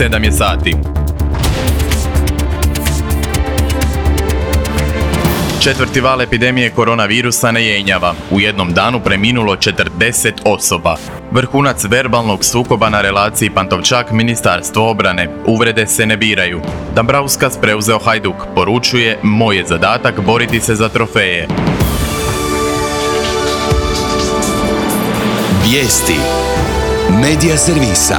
7 je sati. Četvrti val epidemije koronavirusa ne jenjava. U jednom danu preminulo 40 osoba. Vrhunac verbalnog sukoba na relaciji Pantovčak-Ministarstvo obrane. Uvrede se ne biraju. Dambrauskas preuzeo Hajduk. Poručuje: moj je zadatak boriti se za trofeje. Vijesti Medija servisa.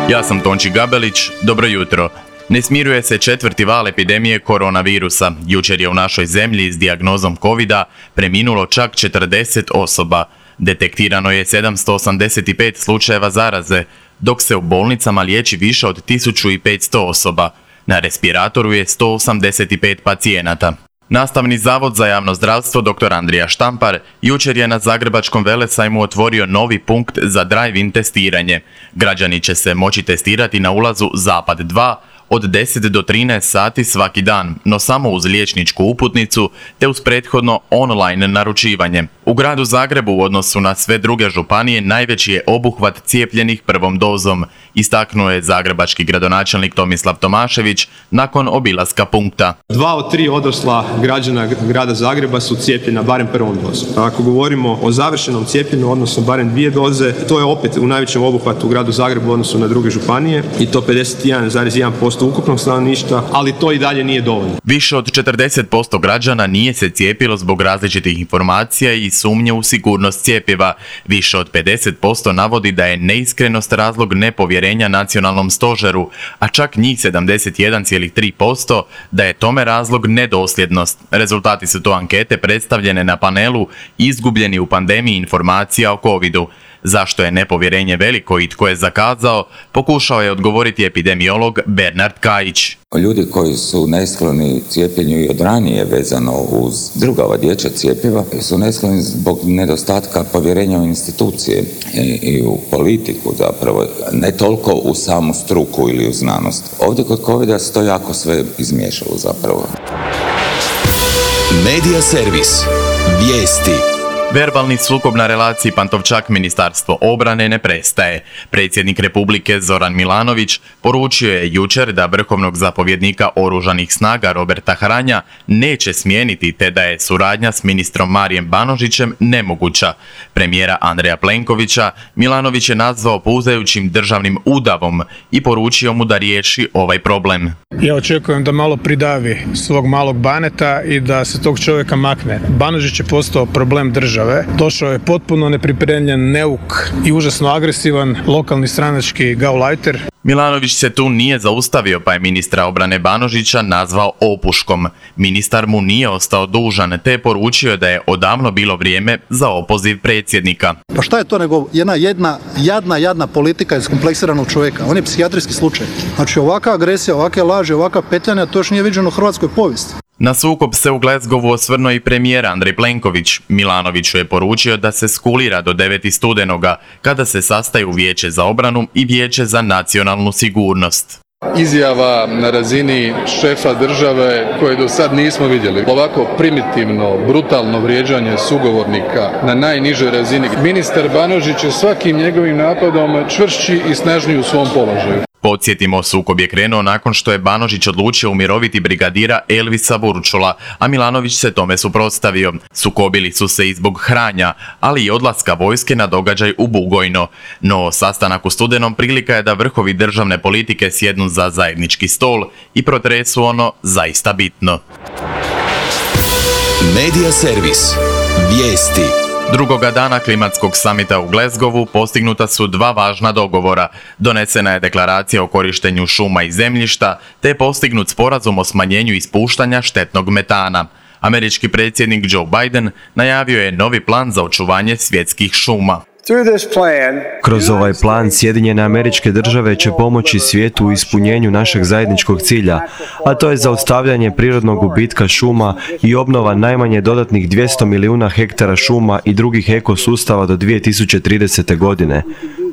Ja sam Tonči Gabelić. Dobro jutro. Ne smiruje se četvrti val epidemije koronavirusa. Jučer je u našoj zemlji s dijagnozom covida preminulo čak 40 osoba. Detektirano je 785 slučajeva zaraze, dok se u bolnicama liječi više od 1500 osoba. Na respiratoru je 185 pacijenata. Nastavni zavod za javno zdravstvo dr. Andrija Štampar jučer je na Zagrebačkom velesajmu otvorio novi punkt za drive-in testiranje. Građani će se moći testirati na ulazu Zapad 2 od 10 do 13 sati svaki dan, no samo uz liječničku uputnicu te uz prethodno online naručivanje. U gradu Zagrebu u odnosu na sve druge županije najveći je obuhvat cijepljenih prvom dozom, istaknuo je zagrebački gradonačelnik Tomislav Tomašević nakon obilaska punkta. 2 od 3 odrasla građana grada Zagreba su cijepljena barem prvom dozom. Ako govorimo o završenom cijepljenju, odnosno barem 2 doze, to je opet u najvećem obuhvatu u gradu Zagrebu u odnosu na druge županije i to 51,1% ukupnog stanovništva, ali to i dalje nije dovoljno. Više od 40% građana nije se cijepilo zbog različitih informacija i sumnje u sigurnost cjepiva. Više od 50% navodi da je neiskrenost razlog nepovjerenja nacionalnom stožeru, a čak njih 71,3% da je tome razlog nedosljednost. Rezultati su to ankete predstavljene na panelu Izgubljeni u pandemiji informacija o covidu. Zašto je nepovjerenje veliko i tko je zakazao, pokušao je odgovoriti epidemiolog Bernard Kajić. Ljudi koji su neskloni cijepljenju i od ranije vezano uz druga ova dječja cjepiva su neskloni zbog nedostatka povjerenja u institucije i u politiku zapravo, ne toliko u samu struku ili u znanost. Ovdje kod covida se to jako sve izmiješalo zapravo. Medija servis. Vijesti. Verbalni sukob na relaciji Pantovčak-Ministarstvo obrane ne prestaje. Predsjednik Republike Zoran Milanović poručio je jučer da vrhovnog zapovjednika oružanih snaga Roberta Hranja neće smijeniti te da je suradnja s ministrom Marijem Banožićem nemoguća. Premijera Andreja Plenkovića Milanović je nazvao puzajućim državnim udavom i poručio mu da riješi ovaj problem. Ja očekujem da malo pridavi svog malog Baneta i da se tog čovjeka makne. Banožić je postao problem države. Došao je potpuno nepripremljen, neuk i užasno agresivan lokalni stranački gaulajter. Milanović se tu nije zaustavio pa je ministra obrane Banožića nazvao opuškom. Ministar mu nije ostao dužan te je poručio da je odavno bilo vrijeme za opoziv predsjednika. Pa šta je to nego jedna jadna politika iskompleksiranog čovjeka? On je psihijatrijski slučaj. Znači ovakva agresija, ovakve laži, ovakva petljanja, to još nije viđeno u hrvatskoj povijesti. Na sukob se u Glasgowu osvrnuo i premijer Andrej Plenković. Milanoviću je poručio da se skulira do 9. studenoga, kada se sastaju Vijeće za obranu i Vijeće za nacionalnu sigurnost. Izjava na razini šefa države koje do sad nismo vidjeli. Ovako primitivno, brutalno vrijeđanje sugovornika na najnižoj razini. Ministar Banožić je svakim njegovim napadom čvršći i snažniji u svom položaju. Podsjetimo, sukob je krenuo nakon što je Banožić odlučio umiroviti brigadira Elvisa Burčula, a Milanović se tome suprotstavio. Sukobili su se i zbog Hranja, ali i odlaska vojske na događaj u Bugojno. No, sastanak u studenom prilika je da vrhovi državne politike sjednu za zajednički stol i protresu ono zaista bitno. Medija servis. Vijesti. Drugoga dana klimatskog samita u Glasgowu postignuta su 2 važna dogovora. Donesena je deklaracija o korištenju šuma i zemljišta, te je postignut sporazum o smanjenju ispuštanja štetnog metana. Američki predsjednik Joe Biden najavio je novi plan za očuvanje svjetskih šuma. Kroz ovaj plan Sjedinjene Američke Države će pomoći svijetu u ispunjenju našeg zajedničkog cilja, a to je zaustavljanje prirodnog gubitka šuma i obnova najmanje dodatnih 200 milijuna hektara šuma i drugih ekosustava do 2030. godine.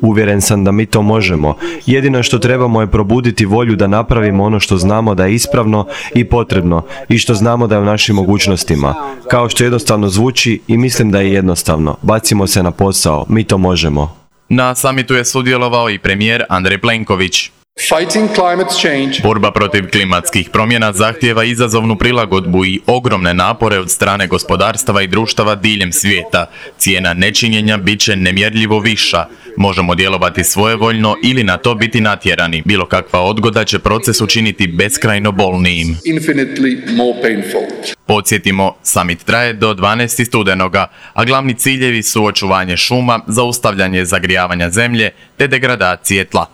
Uvjeren sam da mi to možemo. Jedino što trebamo je probuditi volju da napravimo ono što znamo da je ispravno i potrebno i što znamo da je u našim mogućnostima. Kao što jednostavno zvuči i mislim da je jednostavno. Bacimo se na posao. Mi to možemo. Na samitu je sudjelovao i premijer Andrej Plenković. Fighting climate change. Borba protiv klimatskih promjena zahtijeva izazovnu prilagodbu i ogromne napore od strane gospodarstava i društava diljem svijeta. Cijena nečinjenja bit će nemjerljivo viša. Možemo djelovati svojevoljno ili na to biti natjerani. Bilo kakva odgoda će proces učiniti beskrajno bolnijim. Infinitely more painful. Podsjetimo, summit traje do 12. studenoga, a glavni ciljevi su očuvanje šuma, zaustavljanje zagrijavanja zemlje te degradacije tla.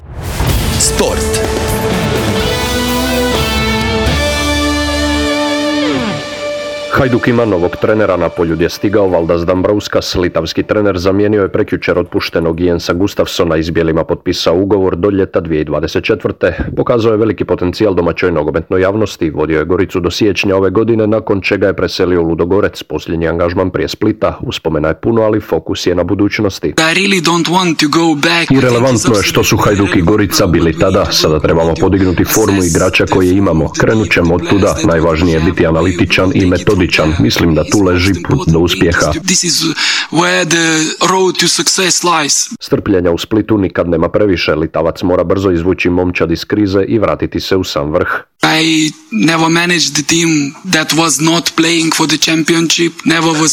Sport. Hajduk ima novog trenera, na poljud je stigao Valdas Dambrauskas, litavski trener zamijenio je prekjučer otpuštenog Jensa Gustafsona, i s bijelima potpisao ugovor do ljeta 2024. Pokazao je veliki potencijal domaćoj nogometnoj javnosti, vodio je Goricu do siječnja ove godine, nakon čega je preselio u Ludogorec, posljednji angažman prije Splita. Uspomena je puno, ali fokus je na budućnosti. I relevantno je što su Hajduk i Gorica bili tada, sada trebamo podignuti formu igrača koje imamo. Krenut ćemo od tuda, najvažnije je biti analitičan i metodičan. Mislim da tu leži put do uspjeha. Strpljenja u Splitu nikad nema previše. Litavac mora brzo izvući momčad iz krize i vratiti se u sam vrh.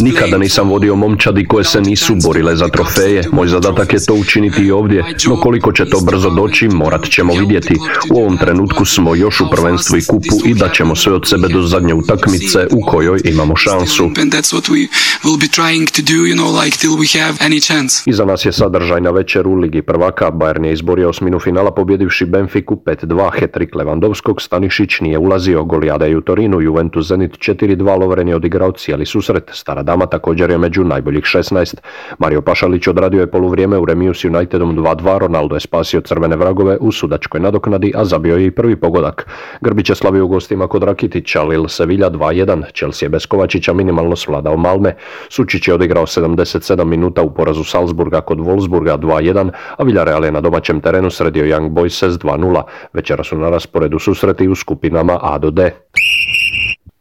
Nikada nisam vodio momčadi koje se nisu borile za trofeje. Moj zadatak je to učiniti i ovdje, no koliko će to brzo doći, morat ćemo vidjeti. U ovom trenutku smo još u prvenstvu i kupu i dat ćemo sve od sebe do zadnje utakmice u kojoj imamo šansu. Iza nas je sadržajna večer u Ligi prvaka. Bayern je izborio osminu finala pobjedivši Benfiku 5-2. Hat-trick Lewandowskog, Stanišić nije ulazio. Golijada je u Torinu, Juventus Zenit 4-2. Lovren je odigrao cijeli susret. Stara dama također je među najboljih 16. Mario Pašalić odradio je poluvrijeme u remiju s Unitedom 2-2. Ronaldo je spasio crvene vragove u sudačkoj nadoknadi, a zabio je i prvi pogodak. Grbić je slavio u gostima kod Rakitića, Lille Sevilla 2-1. Chelsea je bez Kovačića minimalno svladao Malme. Sučić je odigrao 77 minuta u porazu Salzburga kod Wolfsburga 2-1, a Villarreal je na domaćem terenu sredio Young Boyse 2-0. Večera su na rasporedu susreti u skupinama A do D.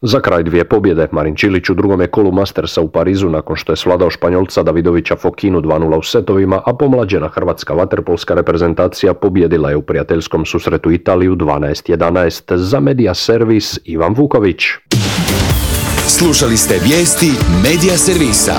Za kraj dvije pobjede. Marin Čilić u drugom je kolu Mastersa u Parizu nakon što je svladao Španjolca Davidovića Fokinu 2-0 u setovima, a pomlađena hrvatska vaterpolska reprezentacija pobjedila je u prijateljskom susretu Italiju 12-11. Za Media Servis Ivan Vuković. Slušali ste vijesti Media Servisa.